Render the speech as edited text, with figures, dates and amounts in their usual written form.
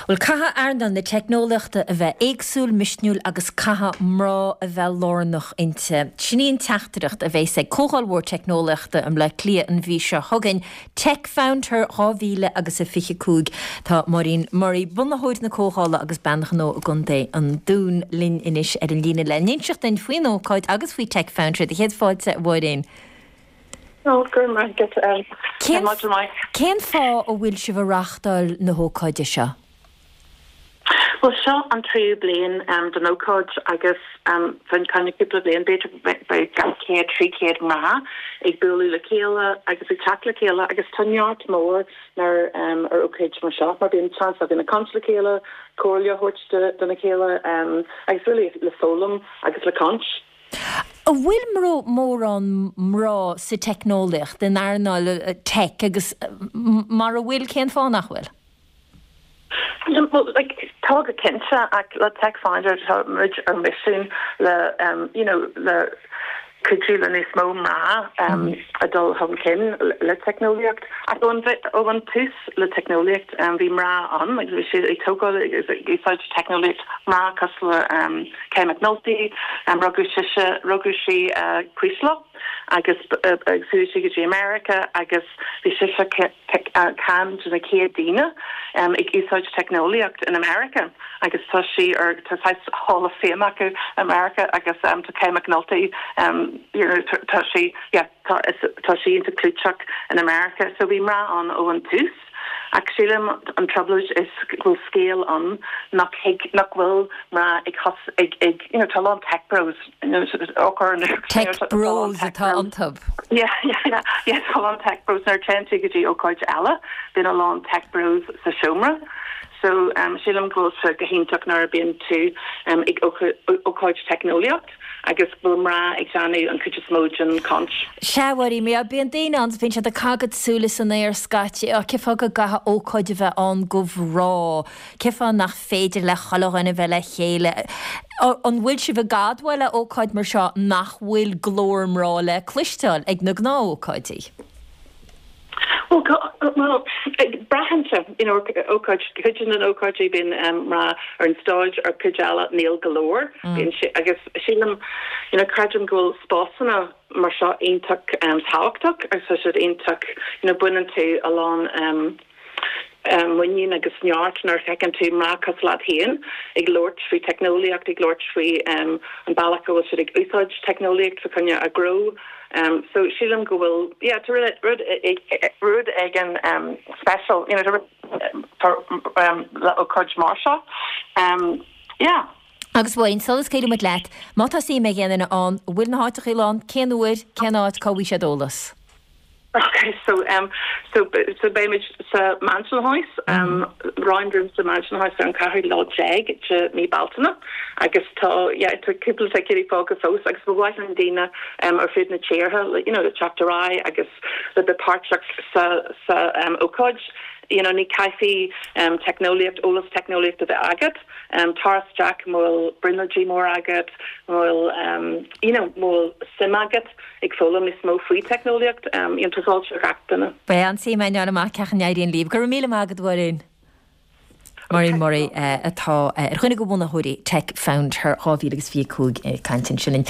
Bhuel, caithfidh earnáil na teicneolaíochta a bheith éagsúil, misniúil agus caithfidh mná a bheith lárnach inti. Sin í an teachtaireacht a bheas ag Comhdháil Mhór Teicneolaíochta i mBleá Cliath an mhí seo chugainn, Tech Found Her 2025. Tá Máirín Murray, bunaitheoir na comhdhála agus bean ghnó i gContae an Dúin, linn anois ar an líne le n-inseacht duinn faoin ócáid agus faoi Tech Found Her. Do chéad fáilte, a Mháirín. Ó, go raibh maith agat. Tá maidin mhaith. Cén fáth a bhfuil sibh ag reáchtáil na hócáide seo? Bhuel, seo an tríú bliain den ócáid agus fá choinne cúpla bliain, b'fhéidir beidh 200, 300 mná ag bualadh le chéile agus ag teacht le chéile agus tá neart mór ar ar ócáid mar seo mar bíonn seans againn ag caint le chéile, comhairle a thabhairt dona chéile agus really le foghlaim agus le caint. An bhfuil mórán mná sa teicneolaíocht, in earnáil tech agus mara bhfuil, cén fáth nach bhfuil? Bhuel, like, tá go cinnte ach le Tech Found Her tá muid ar misiún le you know le cuidiú le níos mó mná a dul chun cinn le teicneolaíocht. Ach ó an tús le teicneolaíocht bhí mná ann agus bhí siad ag tógáil agus ag úsáid teicneolaíocht, mná cosúil le Kay McNulty, rugadh sise, rugadh sí i Creeslough agus agus chuaigh sí go dtí America agus bhí sise ceann de na chéad daoine ag úsáid teicneolaíocht in America agus tá sí ar, tá saghas Hall of Fame acu i America agus tá Kay McNulty you know tá sí, yeah, tá, tá sí iontach clúiteach in America so bhí mná ann ó an tús. Ach sílim an trioblóid is go bhfuil scéal ann nach thig, nach bhfuil mná ag thos, ag, ag, you know, tá a lán tech bros, you know, Tech bros atá iontu. Yeah, yeah, yeah, yeah, tá a lán tech bros. Nuair a téann tú go dtí ócáid eile, bíonn a lán tech bros sa seomra. So, sílim go bhfuil sé go hiontach nuair a bíonn tú ag ócáid teicneolaíocht. agus go bhfuil mná ag déanamh an chuid is mó den chaint. Sea, a Mháirín, bíonn daoine ann is bíonn siad ag caitheamh súile san aer scaití, á, cén fáth go gcaithfidh ócáid a bheith ann do mhná, cén fáth nach féidir le chuile dhuine bheith le chéile. An bhfuil sibh ag admháil le ócáid mar seo nach bhfuil glór mná le cloisteáil ag na gnáthócáidí? Bhuel, bhuel, braitheann sé, you know, ócáid, cuid de na ócáidí bíonn mná ar an stáid, ar cuid eile níl go leor, bíonn sé, agus sílim, you know, creidim go bhfuil spásanna mar seo iontach tábhachtach agus tá siad iontach, you know, baineann tú a lán muinín agus neart nuair a fheiceann tú mná cosúil leat féin ag labhairt faoi teicneolaíocht, ag labhairt faoi an bealach go bhfuil siad ag úsáid teicneolaíocht fá choinne a ngnó. So sílim go bhfuil, yeah, tá rud, rud, rud éigin special, you know, tá rud, tá le ócáid mar seo. Yeah. Agus a Mháirín, sula scaoilfidh muid leat, má tá suim ag aon duine ann, an bhfuil na háiteachaí lán, cén uair, cén áit, cá bhfaighidh siad eolas? Ok, so um so so beimid sa Mansion House, um Round Room sa Mansion House ar an ceathrú lá déag de mí Bealtaine agus tá yeah tá cúpla ticéidí fágtha fós agus ba mhaith linn daoine um ar fud na tíortha you know le teacht ar aghaidh agus le bheith páirteach sa sa um ócáid. You know ní caithfidh um teicneolaíocht, eolas teicneolaíocht a bheith agat, um tar isteach má bhfuil brionglóidí mór agat, má bhfuil um you know má bhfuil suim agat. ag foghlaim níos mó faoi teicneolaíocht, you know, tá fáilte roimh gach duine. Beidh an-suim againn fháil amach cén chaoi a n-éiríonn libh. Go raibh míle maith agat, a Mháirín. Máirín Murray atá ar dhuine de bhunaitheoirí Tech Found Her 2025 ag caint ansin linn.